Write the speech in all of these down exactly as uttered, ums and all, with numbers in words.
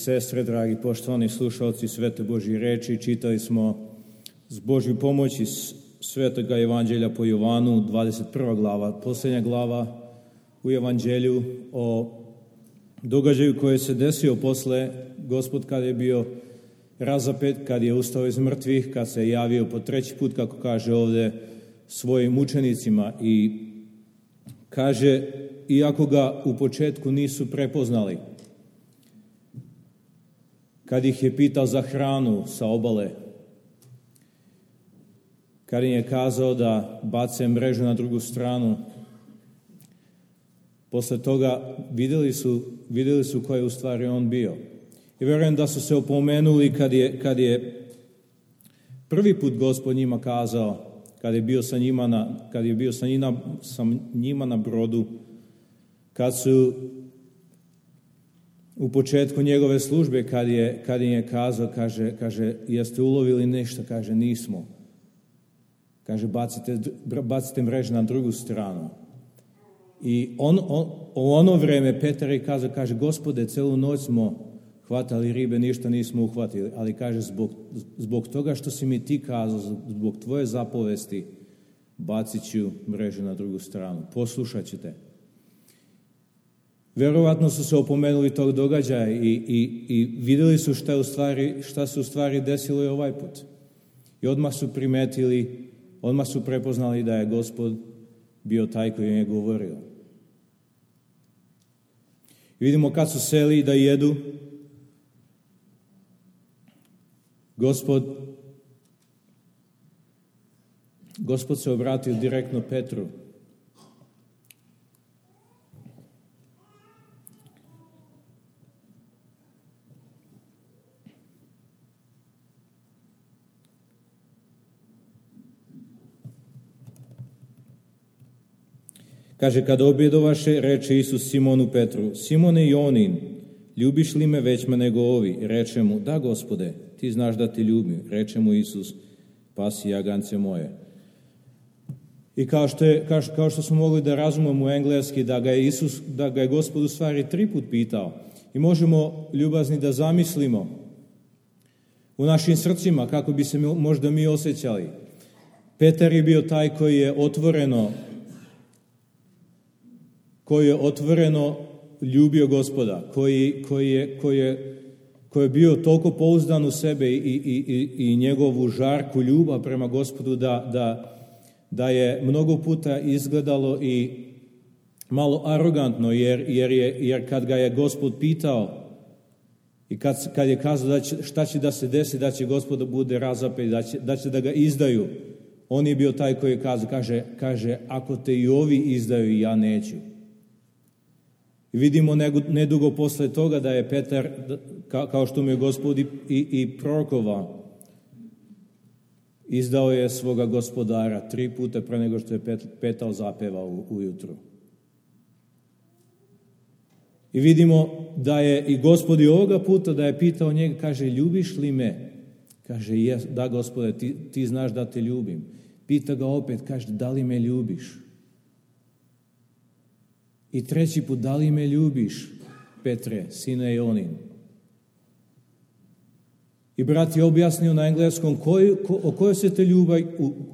Sestre, dragi poštovani slušalci Svete Božje reči, čitali smo s Božju pomoći Svetoga Evanđelja po Jovanu, dvadeset prva glava, posljednja glava u Evanđelju o događaju koji se desio posle Gospod kad je bio razapet, kad je ustao iz mrtvih, kad se javio po treći put, kako kaže ovdje, svojim učenicima i kaže, iako ga u početku nisu prepoznali, kad ih je pitao za hranu sa obale, kad im je kazao da bace mrežu na drugu stranu, posle toga vidjeli su, vidjeli su ko je u stvari on bio. I vjerujem da su se opomenuli kad je, kad je prvi put Gospod njima kazao, kad je bio sa njima na, kad je bio sa njima, sa njima na brodu, kad su u početku njegove službe, kad, je, kad im je kazao, kaže, kaže, jeste ulovili nešto? Kaže, nismo. Kaže, bacite, bacite mreže na drugu stranu. I on, on, u ono vreme Petar je kazao, kaže, Gospode, celu noć smo hvatali ribe, ništa nismo uhvatili, ali kaže, zbog, zbog toga što si mi ti kazao, zbog tvoje zapovesti, bacit ću mrežu na drugu stranu. Poslušat ćete. Vjerovatno su se opomenuli tog događaja i, i, i vidjeli su šta, u stvari, šta se u stvari desilo i ovaj put. I odmah su primetili, odmah su prepoznali da je Gospod bio taj koji im je govorio. I vidimo kad su seli da jedu, Gospod, Gospod se obratio direktno Petru. Kaže, kad objedovaše, reče Isus Simonu Petru, Simone Jonin, ljubiš li me većma nego ovi? Reče mu, da, Gospode, ti znaš da te ljubim. Reče mu Isus, pasi jagance moje. I kao što, je, kao, kao što smo mogli da razumemo u engleski, da ga je Isus, da ga je Gospod u stvari tri put pitao. I možemo, ljubazni, da zamislimo u našim srcima kako bi se možda mi osjećali. Petar je bio taj koji je otvoreno koji je otvoreno ljubio Gospoda, koji, koji, je, koji, je, koji je bio toliko pouzdan u sebe i, i, i, i njegovu žarku ljubav prema Gospodu da, da, da je mnogo puta izgledalo i malo arogantno, jer, jer, je, jer kad ga je Gospod pitao i kad, kad je kazao da će, šta će da se desi, da će Gospod da bude razapet, da će, da će da ga izdaju, on je bio taj koji je kazao, kaže, kaže, ako te i ovi izdaju, ja neću. I vidimo nedugo posle toga da je Petar, kao što mu je Gospod i, i prorokovao, izdao je svoga gospodara tri puta pre nego što je Petar zapevao ujutru. I vidimo da je i Gospod i ovoga puta da je pitao njega, kaže, ljubiš li me? Kaže, jes, da, Gospode, ti, ti znaš da te ljubim. Pita ga opet, kaže, da li me ljubiš? I treći put, da li me ljubiš, Petre, sine Jonin? I brat je objasnio na engleskom koj, ko, o, kojoj se te ljubavi,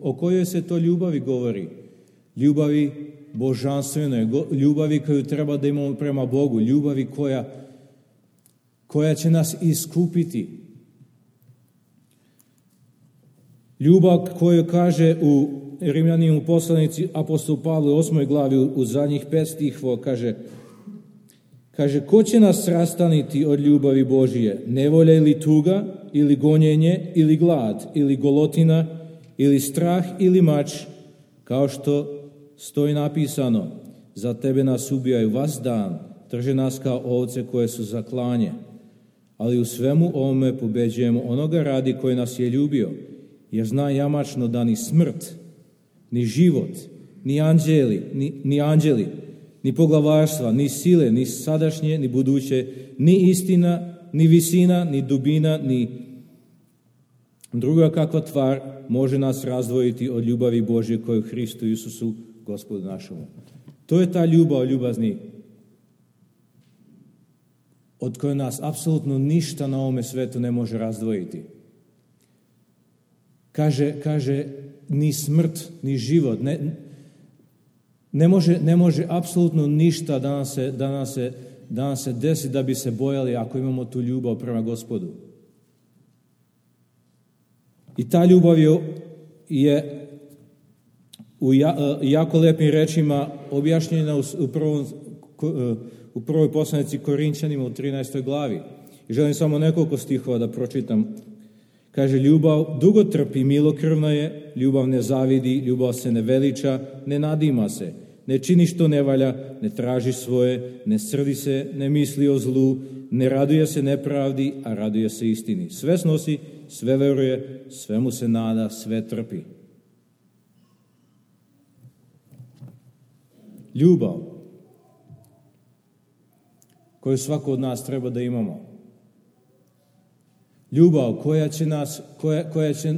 o kojoj se to ljubavi govori. Ljubavi božanstvenoj, ljubavi koju treba da imamo prema Bogu, ljubavi koja, koja će nas iskupiti. Ljubav koju kaže u Rimljanima poslanici apostol Pavle u osmoj glavi u, u zadnjih pet stihova kaže, kaže, ko će nas rastaniti od ljubavi Božije? Nevolja ili tuga, ili gonjenje, ili glad, ili golotina, ili strah, ili mač, kao što stoji napisano, za tebe nas ubijaju vas dan, drže nas kao ovce koje su za klanje. Ali u svemu ovome pobeđujemo onoga radi koji nas je ljubio, jer zna jamačno da ni smrt, ni život, ni anđeli, ni, ni anđeli, ni poglavarstva, ni sile, ni sadašnje, ni buduće, ni istina, ni visina, ni dubina, ni druga kakva tvar može nas razdvojiti od ljubavi Božje koju Hristu Isusu, Gospodu našemu. To je ta ljubav, ljubazni, od koje nas apsolutno ništa na ovome svetu ne može razdvojiti. Kaže, kaže ni smrt, ni život, ne, ne može, ne može apsolutno ništa da nam se, da nam se, da nam se desi da bi se bojali ako imamo tu ljubav prema Gospodu. I ta ljubav je, je u ja, jako lepim rečima objašnjena u, u, prvom, u prvoj poslanici Korinćanima u trinaestoj glavi. I želim samo nekoliko stihova da pročitam. Kaže, ljubav dugo trpi, milokrvna je, ljubav ne zavidi, ljubav se ne veliča, ne nadima se, ne čini što ne valja, ne traži svoje, ne srdi se, ne misli o zlu, ne raduje se nepravdi, a raduje se istini. Sve snosi, sve veruje, sve mu se nada, sve trpi. Ljubav koju svako od nas treba da imamo. Ljubav koja će nas, koja, koja će e,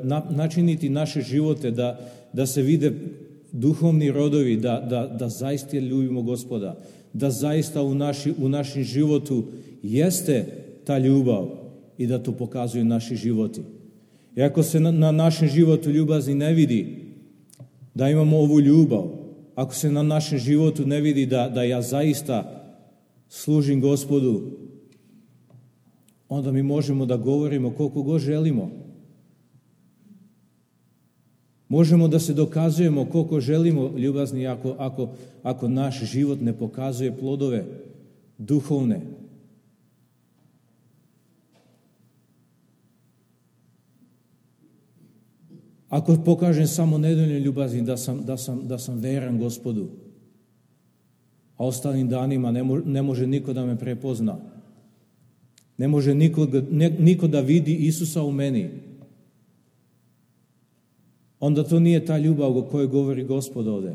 na, načiniti naše živote da, da se vide duhovni rodovi, da, da, da zaista ljubimo Gospoda, da zaista u, naši, u našem životu jeste ta ljubav i da to pokazuju naši životi. I ako se na, na našem životu ljubazni ne vidi da imamo ovu ljubav, ako se na našem životu ne vidi da, da ja zaista služim Gospodu, onda mi možemo da govorimo koliko god želimo. Možemo da se dokazujemo koliko želimo ljubazni ako, ako, ako naš život ne pokazuje plodove duhovne. Ako pokažem samo nedovoljno ljubazni da sam, da sam, da sam veran Gospodu, a ostalim danima ne, mo, ne može niko da me prepozna. Ne može niko, ne, niko da vidi Isusa u meni. Onda to nije ta ljubav o kojoj govori Gospod ovde.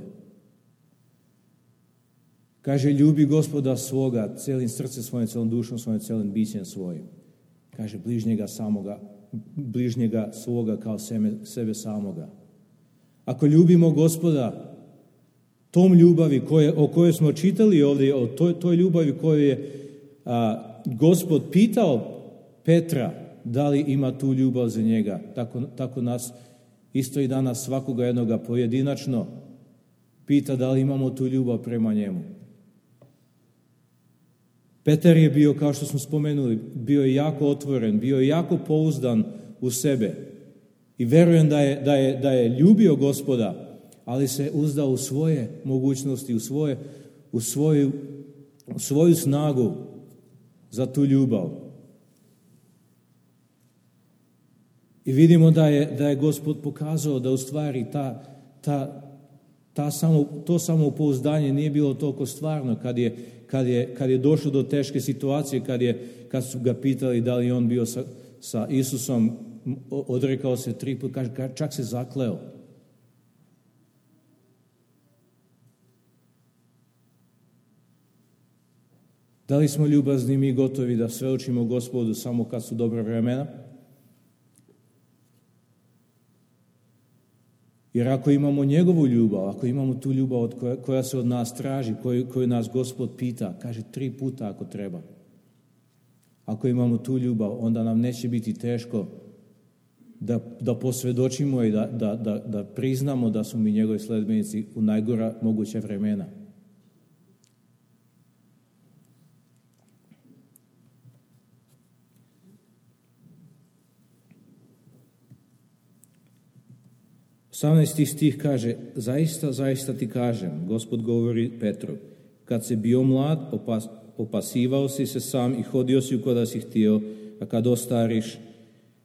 Kaže, ljubi Gospoda svoga, celim srcem svojim, celom dušom svojim, celim bićem svojim. Kaže, bližnjega samoga, bližnjega svoga kao sebe, sebe samoga. Ako ljubimo Gospoda, tom ljubavi koje, o kojoj smo čitali ovdje, o toj, toj ljubavi koju je a, Gospod pitao Petra da li ima tu ljubav za njega. Tako, tako nas isto i danas svakoga jednoga pojedinačno pita da li imamo tu ljubav prema njemu. Petar je bio, kao što smo spomenuli, bio je jako otvoren, bio je jako pouzdan u sebe. I verujem da je, da je, da je ljubio Gospoda, ali se uzdao u svoje mogućnosti, u, svoje, u, svoju, u svoju snagu za tu ljubav. I vidimo da je, da je Gospod pokazao da u stvari ta, ta, ta samo, to samopouzdanje nije bilo toliko stvarno kad je, kad je, kad je došlo do teške situacije, kad, je, kad su ga pitali da li on bio sa, sa Isusom, odrekao se tri put, čak se zakleo. Da li smo ljubazni mi gotovi da svedočimo Gospodu samo kad su dobra vremena? Jer ako imamo njegovu ljubav, ako imamo tu ljubav od koja, koja se od nas traži, koju, koju nas Gospod pita, kaže tri puta ako treba. Ako imamo tu ljubav, onda nam neće biti teško da, da posvedočimo i da, da, da, da priznamo da su mi njegovi sledbenici u najgora moguća vremena. osamnaesti stih kaže, zaista, zaista ti kažem, Gospod govori Petru, kad si bio mlad, opas, opasivao si se sam i hodio si kada si htio, a kad ostariš,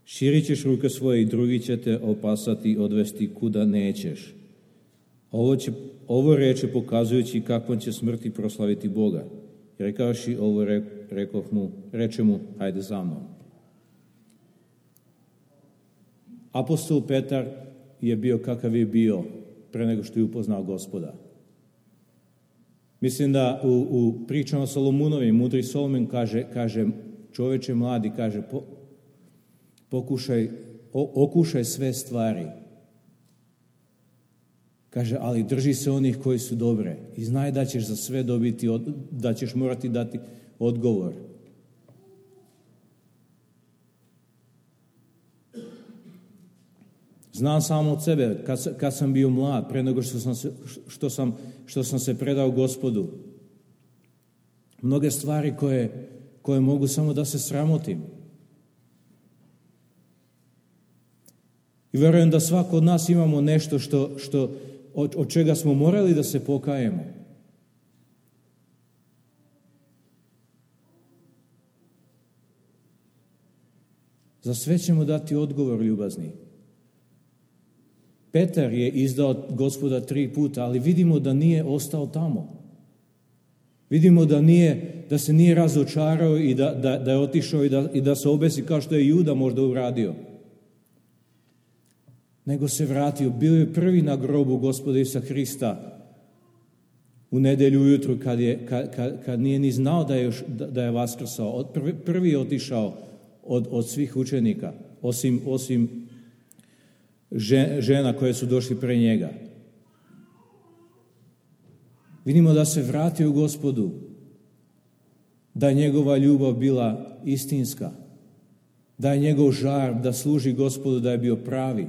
širit ćeš ruke svoje i drugi će te opasati i odvesti kuda nećeš. Ovo, će, ovo reče pokazujući kakvom će smrti proslaviti Boga. I rekavši ovo, re, rekoh mu, reče mu, hajde za mnom. Apostol Petar je bio kakav je bio pre nego što je upoznao Gospoda. Mislim da u, u pričama Solomunovim, mudri Solomon kaže, kaže čoveče mladi, kaže po, pokušaj, o, okušaj sve stvari. Kaže, ali drži se onih koji su dobre i znaj da ćeš za sve dobiti, da ćeš morati dati odgovor. Znam samo od sebe, kad, kad sam bio mlad, pre nego što sam, se, što, sam, što sam se predao Gospodu. Mnoge stvari koje, koje mogu samo da se sramotim. I verujem da svako od nas imamo nešto što, što, od, od čega smo morali da se pokajemo. Za sve ćemo dati odgovor, ljubazni. Petar je izdao Gospoda tri puta, ali vidimo da nije ostao tamo. Vidimo da, nije, da se nije razočarao i da, da, da je otišao i da, i da se obesi kao što je Juda možda uradio. Nego se vratio. Bio je prvi na grobu Gospoda Isusa Hrista u nedelju ujutru kad, je, kad, kad, kad nije ni znao da je, još, da, da je vaskrsao. Prvi, prvi je otišao od, od svih učenika, osim, osim žena koje su došli pre njega. Vidimo da se vratio Gospodu, da je njegova ljubav bila istinska, da je njegov žar da služi Gospodu, da je bio pravi.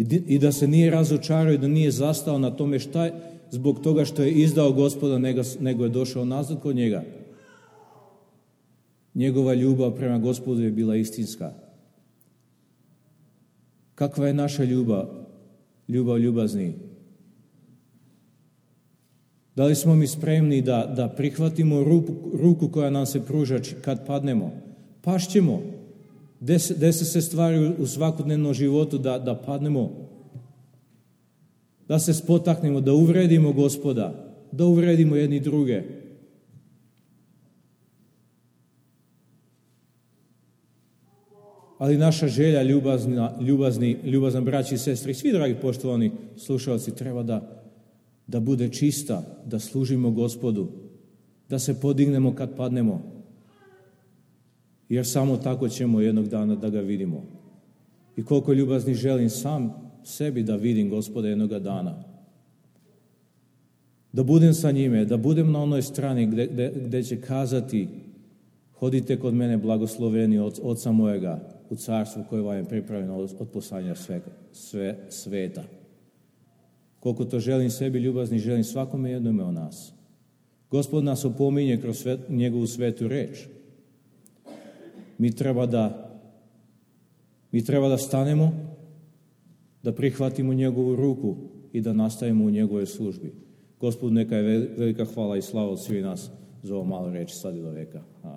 I da se nije razočarao i da nije zastao na tome šta je, zbog toga što je izdao Gospoda, nego, nego je došao nazad kod njega. Njegova ljubav prema Gospodu je bila istinska. Kakva je naša ljubav? Ljubav ljubazni. Da li smo mi spremni da, da prihvatimo ruku, ruku koja nam se pruža kad padnemo? Pašćemo. Dese se stvari u svakodnevnom životu da, da padnemo. Da se spotaknemo, da uvredimo Gospoda, da uvredimo jedni druge. Ali naša želja, ljubazna, ljubazni, ljubazan braći i sestri, svi dragi poštovani slušalci, treba da, da bude čista, da služimo Gospodu, da se podignemo kad padnemo. Jer samo tako ćemo jednog dana da ga vidimo. I koliko ljubazni želim sam sebi da vidim Gospoda jednoga dana. Da budem sa njime, da budem na onoj strani gde, gde, gde će kazati: hodite kod mene blagosloveni od Oca mojega u carstvu koje vam je pripravljeno od, od poslanja sve, sve sveta. Koliko to želim sebi, ljubazni, želim svakome jednome od nas. Gospod nas opominje kroz sve, njegovu svetu reč. Mi treba da mi treba da stanemo, da prihvatimo njegovu ruku i da nastavimo u njegovoj službi. Gospod, neka je velika hvala i slava od svih nas za ovo malo reči sad i do veka. Amen.